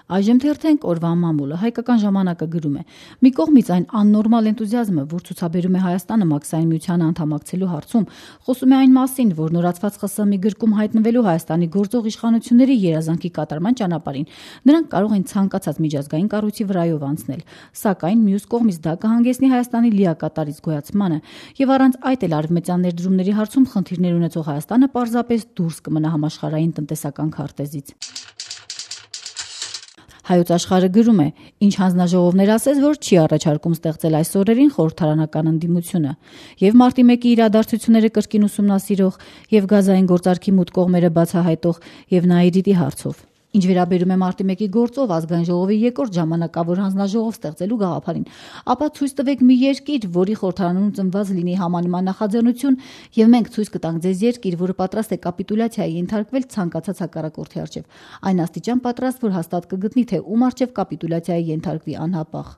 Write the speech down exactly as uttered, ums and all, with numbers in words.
Այժմ թերթենք օրվա մամուլը։ Հայկական ժամանակը գրում է. մի կողմից այն աննորմալ էնտուզիազմը, որ ցուցաբերում է Հայաստանը Մաքսային միությանը անդամակցելու հարցում, խոսում է այն մասին, որ նորացված ԽՍՀՄ-ի գրկում հայտնվելու Հայաստանի գործող իշխանությունների երազանքի կատարման ճանապարհին նրանք կարող են ցանկացած միջազգային կառույցի վրայով անցնել, սակայն մյուս կողմից դա կհանգեցնի Հայաստանի լիակատար գոյացմանը, եւ առանց այդ էլ արևմտյան ներդրումների հարցում խնդիրներ ունեցող Հայաստանը պարզապես դուրս կմնա համաշխարհային տնտեսական քարտեզից։ Հայոց աշխարհը գրում է. ինչ հանձնաժողովներ ասես, որ չի առաջարկում ստեղծել այս օրերին խորհրդարանական ընդդիմությունը, եւ մարտի մեկի իրադարձությունները կրկին ուսումնասիրող, եւ գազային գործարքի մուտք կողմերը բացահայտող, եւ Նաիրիտի հարցով։ Ինչ վերաբերում է մարտի մեկի գործով ազգային ժողովի երկրորդ ժամանակավոր հանձնաժողով ստեղծելու գաղափարին, ապա ցույց տվեք մի երկիր, որի խորհրդարանում ծնված լինի համանման նախաձեռնություն, եւ մենք ցույց կտանք ձեզ երկիր, որը պատրաստ է կապիտուլյացիայի ենթարկվել ցանկացած հակառակորդի առջև, այն աստիճան պատրաստ, որ հաստատ կգտնի, թե ում առջև կապիտուլյացիայի ենթարկվի անհապաղ։